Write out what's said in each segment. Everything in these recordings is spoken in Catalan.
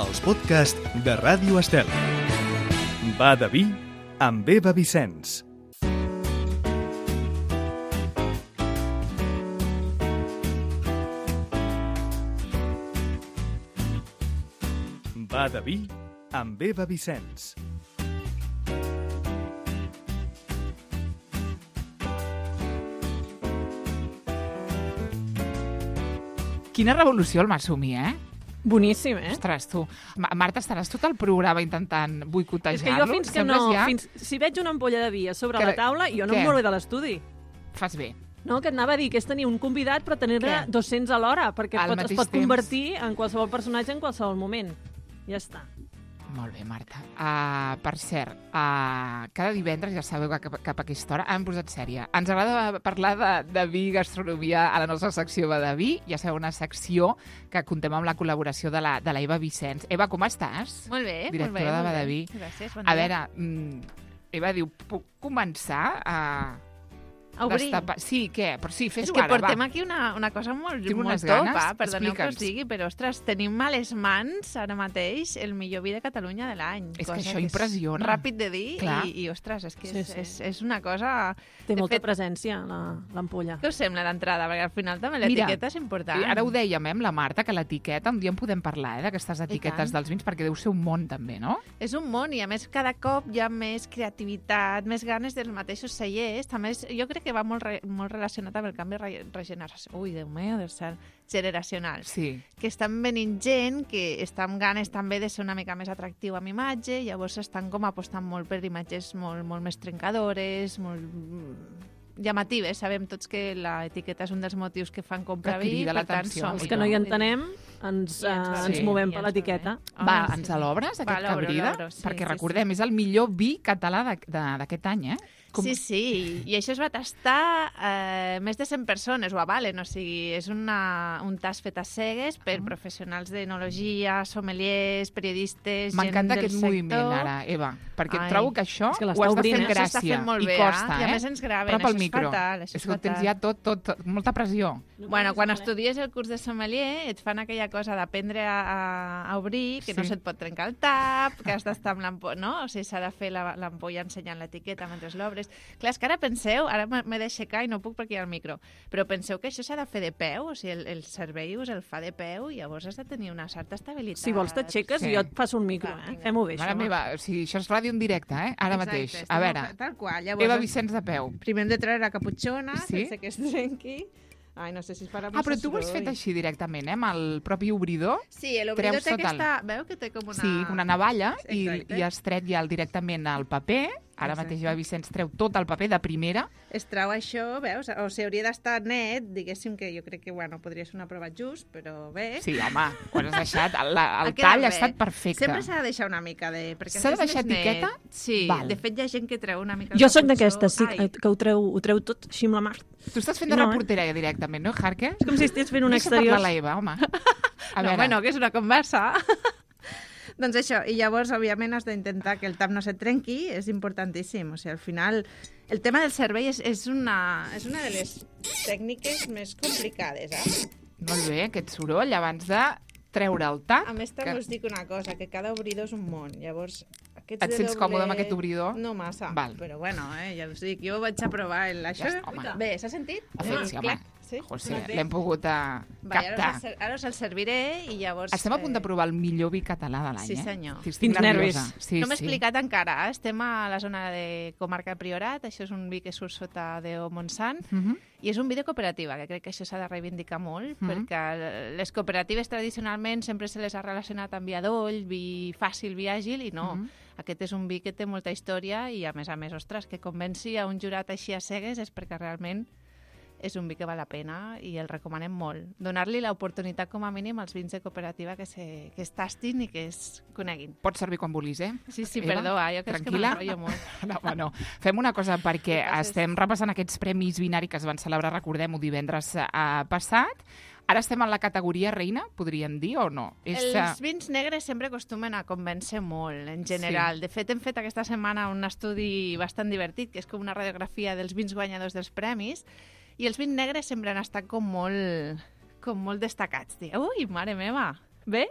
els podcasts de Ràdio Estel. Va de vi amb Eva Vicenç. Va de vi amb Eva Vicenç. Quina revolució el Masumi, Boníssim, Ostres, tu. Marta, estaràs tot el programa intentant boicotejar-lo? És que jo fins que no... Si veig una ampolla de vi a sobre la taula, jo no em mouré de l'estudi. Fas bé. No, que et anava a dir que és tenir un convidat però tenir-ne 200 alhora, perquè es pot convertir en qualsevol personatge en qualsevol moment. Ja està. Molt bé, Marta. Per cert, cada divendres, ja sabeu que cap a aquesta hora hem posat sèrie. Ens agrada parlar de vi i gastronomia a la nostra secció Va de vi. Ja sabeu, una secció que contem amb la col·laboració de la Eva Vicenç. Eva, com estàs? Molt bé, directora de Va de vi. Gràcies, bon dia. A veure, Eva diu, puc començar a obrir? Sí, què? Però sí, fes-ho ara, va. És que portem aquí una cosa molt top, perdoneu que us digui, però, ostres, tenim a les mans ara mateix el millor vi de Catalunya de l'any. És que això impressiona. Ràpid de dir i ostres, és que és una cosa... Té molta presència, l'ampolla. Què us sembla d'entrada? Perquè al final també l'etiqueta és important. Ara ho dèiem, amb la Marta, que l'etiqueta, un dia en podem parlar, d'aquestes etiquetes dels vins, perquè deu ser un món també, no? És un món i, a més, cada cop hi ha més creativitat, més ganes dels mateixos cellers. També jo crec que va molt relacionat amb el canvi generacional. Sí. Que estan venint gent que està amb ganes també de ser una mica més atractiu amb imatge, llavors estan com apostant molt per imatges molt més trencadores, molt llamatives. Sabem tots que l'etiqueta és un dels motius que fan comprar vi. Per tant, els que no hi entenem ens movem per l'etiqueta. Va, ens l'obres, aquest cabrida? Perquè recordem, és el millor vi català d'aquest any, Sí, i això es va tastar més de 100 persones, ho avalen, o sigui, és un tast fet a cegues per professionals d'enologia, sommeliers, periodistes, gent del sector. M'encanta aquest moviment ara, Eva, perquè trobo que això ho has de fer amb gràcia i costa, I a més ens graven, això és fatal. És que ho tens ja tot, molta pressió. Bueno, quan estudies el curs de sommelier et fan aquella cosa d'aprendre a obrir, que no se't pot trencar el tap, que has d'estar amb l'ampolla, no? O sigui, s'ha de fer l'ampolla ensenyant l'etiqueta mentre l'obres. Clar, és que ara penseu, ara m'he d'aixecar i no puc perquè hi ha el micro, però penseu que això s'ha de fer de peu, o sigui, el servei us el fa de peu i llavors has de tenir una certa estabilitat. Si vols t'aixeques i jo et passo un micro, Fem-ho bé, això. Mare meva, o sigui, això és ràdio en directe, ara mateix. A veure, tal qual. Llavors, Eva Vicenç de peu. Primer hem de treure la caputxona, sense que es trenqui. Ai, no sé si es farà massa però tu ho has fet així directament, amb el propi obridor? Sí, l'obridor té aquesta... Veu que té com una... Sí, una navalla, i has tret ja directament el paper. Ara mateix Eva Vicenç treu tot el paper de primera. Es treu això, veus? O sigui, hauria d'estar net, diguéssim que jo crec que, podria ser una prova just, però bé. Sí, home, quan has deixat, el tall ha estat perfecte. Sempre s'ha de deixar una mica de... S'ha de deixar etiqueta? Sí, de fet hi ha gent que treu una mica... Jo soc d'aquestes, que ho treu tot així amb la mà. Tu estàs fent de reportera ja directament, no, Jarque? És com si estigués fent un exterior. Deixa parlar l'Eva, home. No, que és una conversa. Doncs això, i llavors, òbviament, has d'intentar que el tap no se't trenqui, és importantíssim. O sigui, al final, el tema del servei és una de les tècniques més complicades, Molt bé, aquest soroll, abans de treure el tap. A més, també us dic una cosa, que cada obridor és un món. Llavors, et sents còmode amb aquest obridor? No massa, però bueno, ja us dic, jo vaig a provar això. Bé, s'ha sentit? Sí, home. L'hem pogut captar. Ara us el serviré i llavors... Estem a punt de provar el millor vi català de l'any, Sí, senyor. Estic nerviosa. No m'he explicat encara, estem a la zona de comarca de Priorat, això és un vi que surt sota de Montsant, i és un vi de cooperativa, que crec que això s'ha de reivindicar molt, perquè les cooperatives tradicionalment sempre se les ha relacionat amb vi adoll, vi fàcil, vi àgil, i no. Aquest és un vi que té molta història i, a més, ostres, que convenci a un jurat així a cegues és perquè realment és un vi que val la pena i el recomanem molt. Donar-li l'oportunitat com a mínim als vins de cooperativa que es tastin i que es coneguin. Pots servir quan vulguis, Sí, perdó, jo crec que m'enrotllo molt. No. Fem una cosa, perquè estem repassant aquests premis Vinari que es van celebrar, recordem-ho, divendres passat. Ara estem en la categoria reina, podríem dir, o no? Els vins negres sempre acostumen a convèncer molt, en general. De fet, hem fet aquesta setmana un estudi bastant divertit, que és com una radiografia dels vins guanyadors dels premis, i els vins negres sempre han estat com molt destacats. Ui, mare meva! Bé?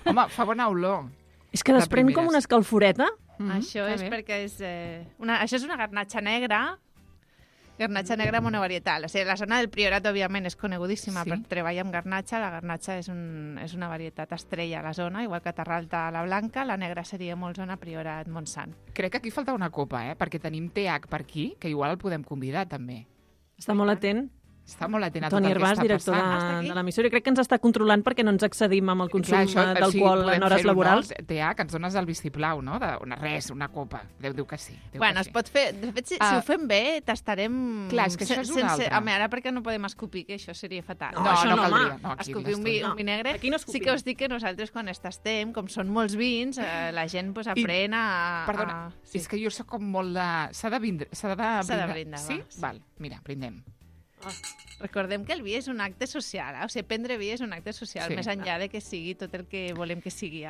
Home, fa bona olor. És que desprèn com una escalforeta. Això és perquè això és una garnatxa negra, garnatxa negra monovarietal. O sigui, la zona del Priorat, òbviament, és conegudíssima per treballar amb garnatxa. La garnatxa és una varietat estrella a la zona, igual que Terralta la blanca, la negra seria molt zona Priorat, Montsant. Crec que aquí falta una copa, perquè tenim TH per aquí, que igual el podem convidar, també. Està molt atent. Està molt atent a tot Toni el que Herbàs, està director passant. de l'emissora, crec que ens està controlant perquè no ens excedim amb el consum d'alcohol en hores laborals. TH, que ens dones el vistiplau, no? Una copa. Déu diu que sí. Es pot fer... De fet, si ho fem bé, tastarem... Clar, és que això és una altra. Home, ara perquè no podem escopir, que això seria fatal. No caldria. Escopir un vinegre. Sí que us dic que nosaltres, quan tastem, com són molts vins, la gent aprèn a... Perdona, és que jo soc com molt de... S'ha de brindar. Sí? Val, mira, brindem. Recordem que el vi és un acte social, o sigui, prendre vi és un acte social, més enllà de que sigui tot el que volem que sigui.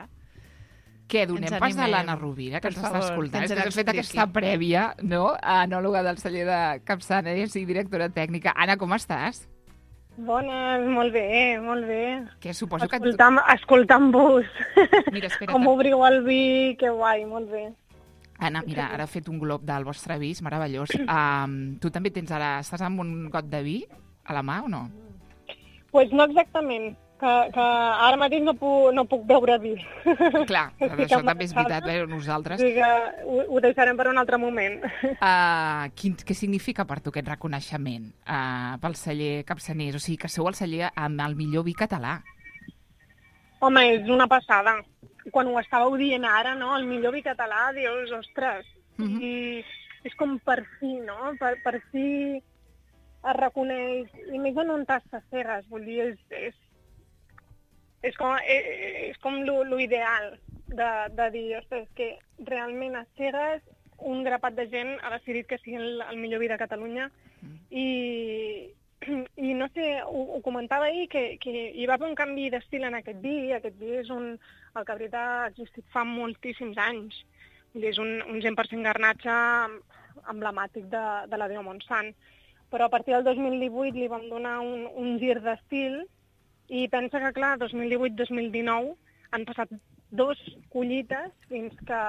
Què, donem pas de l'Anna Rovira, que ens està escoltant? És que has fet aquesta prèvia, no?, anòloga del celler de Capçanes i directora tècnica. Anna, com estàs? Bones, molt bé, molt bé. Què, suposo que... Escoltant-vos. Mira, espera't. Com obriu el vi, que guai, molt bé. Anna, mira, ara he fet un glob del vostre vi, és meravellós. Tu també estàs amb un got de vi a la mà o no? Pues no exactament, que ara mateix no puc beure vi. Clar, això també és veritat, nosaltres. O sigui que ho deixarem per un altre moment. Què significa per tu aquest reconeixement pel celler Capçaners? O sigui, que sou el celler amb el millor vi català. Home, és una passada. Quan ho estàveu dient ara, no?, el millor vi català, dius, ostres, i és com per fi, no?, per fi es reconeix, i més en un tas de cegues, vull dir, és com lo ideal de dir, ostres, que realment a cegues un grapat de gent ha decidit que sigui el millor vi de Catalunya, i no sé, ho comentava ahir, que hi va haver un canvi d'estil en aquest vi. Aquest vi és el cabrit ha existit fa moltíssims anys. És un 100% garnatxa emblemàtic de la Déu Montsant. Però a partir del 2018 li vam donar un gir d'estil i pensa que, clar, 2018-2019 han passat 2 collites fins que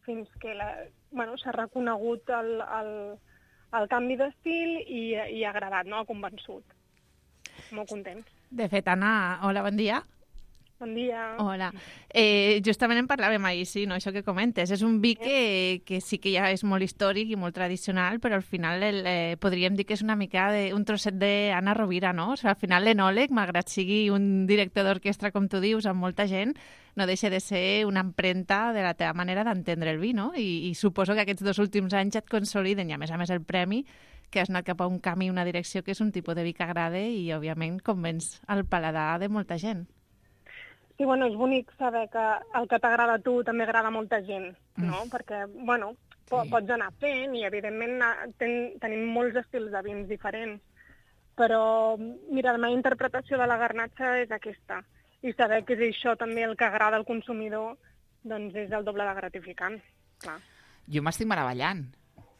s'ha reconegut el canvi d'estil i ha agradat, no? Ha convençut. Molt contents. De fet, Anna, hola, bon dia. Bon dia. Hola. Justament en parlàvem ahir, sí, no? Això que comentes. És un vi que sí que ja és molt històric i molt tradicional, però al final podríem dir que és una mica un trosset d'Anna Rovira, no? O sigui, al final l'enòleg, malgrat sigui un director d'orquestra, com tu dius, amb molta gent, no deixa de ser una empremta de la teva manera d'entendre el vi, no? I suposo que aquests 2 últims anys et consoliden, i a més el premi, que has anat cap a un camí, una direcció que és un tipus de vi que agrada i, òbviament, convenç el paladar de molta gent. Sí, és bonic saber que el que t'agrada a tu també agrada a molta gent, no? Perquè, pots anar fent i, evidentment, tenim molts estils de vins diferents. Però, mira, la meva interpretació de la garnatxa és aquesta. I saber que és això també el que agrada al consumidor, doncs és el doble de gratificant, clar. Jo m'estic meravellant.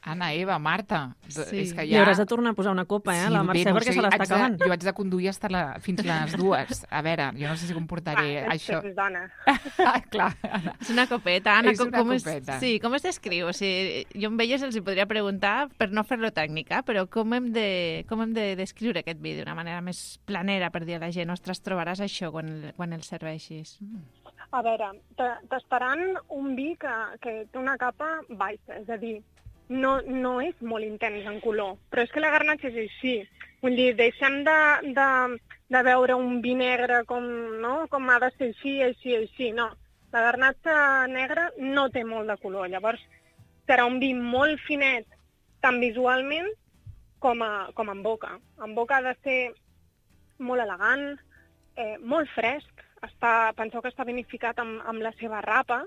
Anna, Eva, Marta... Sí. És que ja... I hauràs de tornar a posar una copa, la Mercè, perquè se l'està acabant. Jo haig de conduir fins les 2. A veure, jo no sé si comportaré això. És dona. Clar, Anna. És una copeta, Anna. És una copeta. Sí, com es descriu? O sigui, jo amb elles els hi podria preguntar, per no fer-lo tècnica, però com hem de descriure aquest vi d'una manera més planera, per dir a la gent, ostres, trobaràs això quan el serveixis? A veure, t'estaran un vi que té una capa baixa, és a dir, no és molt intens en color, però és que la garnatxa és així. Vull dir, deixem de veure un vi negre com ha de ser així, no. La garnatxa negra no té molt de color, llavors serà un vi molt finet, tant visualment com en boca. En boca ha de ser molt elegant, molt fresc. Penseu que està vinificat amb la seva rapa,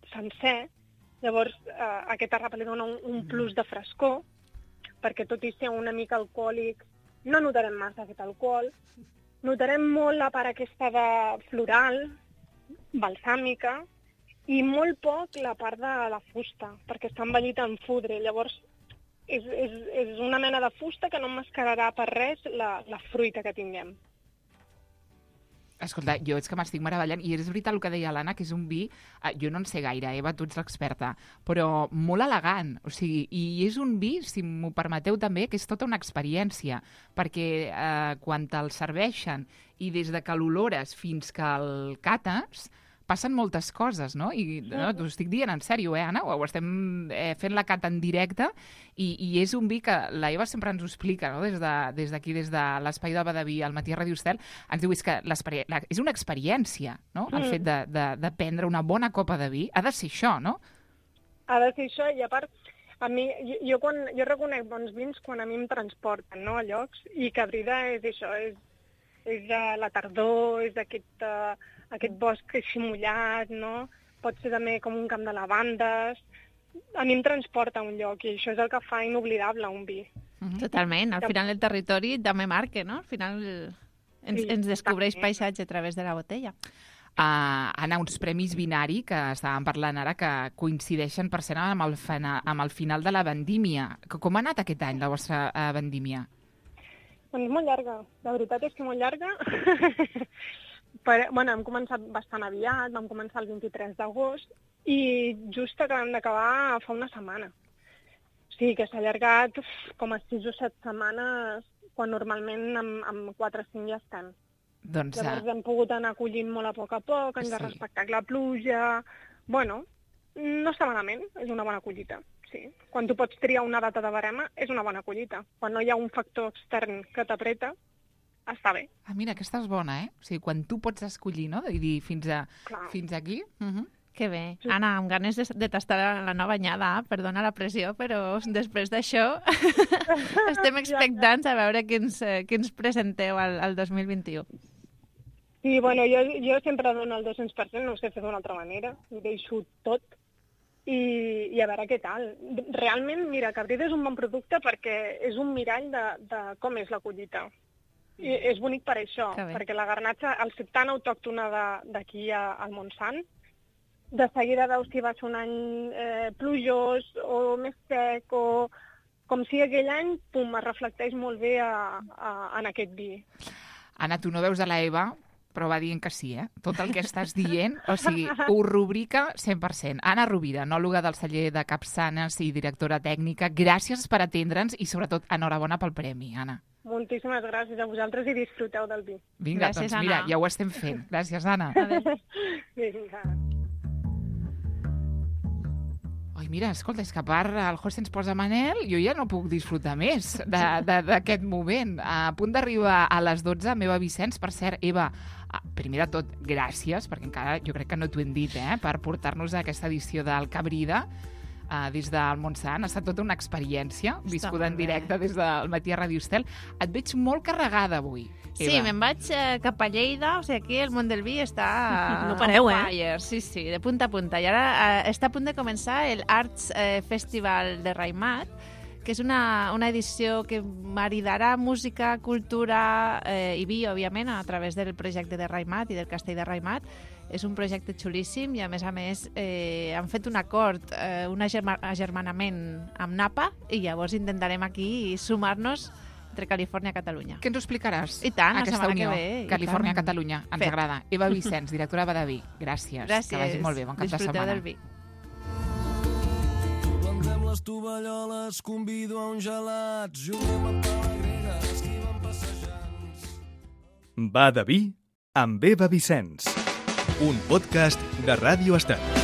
sencer. Llavors, aquesta rapa li dona un plus de frescor, perquè tot i ser una mica alcohòlic, no notarem massa aquest alcohol. Notarem molt la part aquesta de floral, balsàmica, i molt poc la part de la fusta, perquè està envellit en fudre. Llavors, és una mena de fusta que no emmascararà per res la fruita que tinguem. Escolta, jo és que m'estic meravellant, i és veritat el que deia l'Anna, que és un vi, jo no en sé gaire, Eva, tu ets l'experta, però molt elegant, o sigui, i és un vi, si m'ho permeteu també, que és tota una experiència, perquè quan te'l serveixen i des de que l'olores fins que el cates, passen moltes coses, no? I no, t'ho estic dient en sèrio, Anna? Ho estem fent la cata en directe i és un vi que la Eva sempre ens ho explica, no? Des d'aquí, des de l'espai de Badaví, al Matí a Ràdio Estel, ens diu que és una experiència, no? El fet de prendre una bona copa de vi ha de ser això, no? Ha de ser això, i a part, a mi, jo reconec bons vins quan a mi em transporten, no?, a llocs, i Cabrida és això, és de la tardor, és aquest bosc així mullat, no? Pot ser també com un camp de lavandes. A mi em transporta a un lloc i això és el que fa inoblidable un vi. Totalment. Al final el territori també marca, no? Al final ens descobreix paisatge a través de la botella. Anna, uns premis Vinari, que estàvem parlant ara, que coincideixen per ser amb el final de la vendímia. Com ha anat aquest any, la vostra vendímia? Doncs molt llarga. La veritat és que molt llarga. Hem començat bastant aviat, vam començar el 23 d'agost i just acabem d'acabar fa una setmana. O sigui que s'ha allargat com a 6 o 7 setmanes, quan normalment amb 4 o 5 ja estem. Doncs, llavors hem pogut anar acollint molt a poc, hem de respectar la pluja. Bueno, no està malament, és una bona collita. Sí. Quan tu pots triar una data de barema, és una bona collita. Quan no hi ha un factor extern que t'apreta, està bé. Mira, aquesta és bona, eh? O sigui, quan tu pots escollir, no? I dir fins aquí. Que bé. Sí. Anna, amb ganes de tastar la nova anyada, perdona la pressió, però després d'això estem expectants a veure què ens presenteu al 2021. Sí, bueno, jo sempre dono el 200%, no ho sé fer d'una altra manera, ho deixo tot i a veure què tal. Realment, mira, Cabrida és un bon producte perquè és un mirall de com és la collita. I és bonic per això, perquè la garnatxa, al ser tan autòctona d'aquí al Montsant, de seguida veus si va ser un any plujós o més sec, o com si aquell any, pum, es reflecteix molt bé en aquest vi. Anna, tu no veus a la Eva, però va dient que sí, eh? Tot el que estàs dient, o sigui, ho rubrica 100%. Anna Rovira, enòloga del celler de Capçanes i directora tècnica, gràcies per atendre'ns i, sobretot, enhorabona pel premi, Anna. Moltíssimes gràcies a vosaltres i disfruteu del vi. Vinga, gràcies, doncs mira, ja ho estem fent. Gràcies, Anna. Vinga. Ai, mira, escolta, és que a part el José ens posa Manel, jo ja no puc disfrutar més d'aquest moment. A punt d'arribar a les 12, meva Vicenç, per cert, Eva, primer de tot, gràcies, perquè encara jo crec que no t'ho hem dit, per portar-nos a aquesta edició del Cabrida, des del Montsant. Ha estat tota una experiència viscuda en directe des del Matí a Ràdio Estel. Et veig molt carregada avui, Eva. Sí, me'n vaig cap a Lleida, o sigui, aquí el món del vi està no pareu, fire. Sí, de punta a punta. I ara està a punt de començar el Arts Festival de Raimat, que és una edició que maridarà música, cultura i vi, òbviament, a través del projecte de Raimat i del Castell de Raimat. És un projecte xulíssim i, a més, han fet un acord, un agermanament amb Napa, i llavors intentarem aquí sumar-nos entre Califòrnia i Catalunya. Què ens ho explicaràs? I tant, aquesta unió, Califòrnia-Catalunya. Ens agrada. Eva Vicenç, directora Badaví. Gràcies. Gràcies. Que vagi molt bé. Bon cap de setmana. Disfruteu del vi. Plantem les tovalloles, convido a un gelat, juguem a pala grega, esquivem passejants. Badaví amb Eva Vicenç. Un podcast de Ràdio Estel.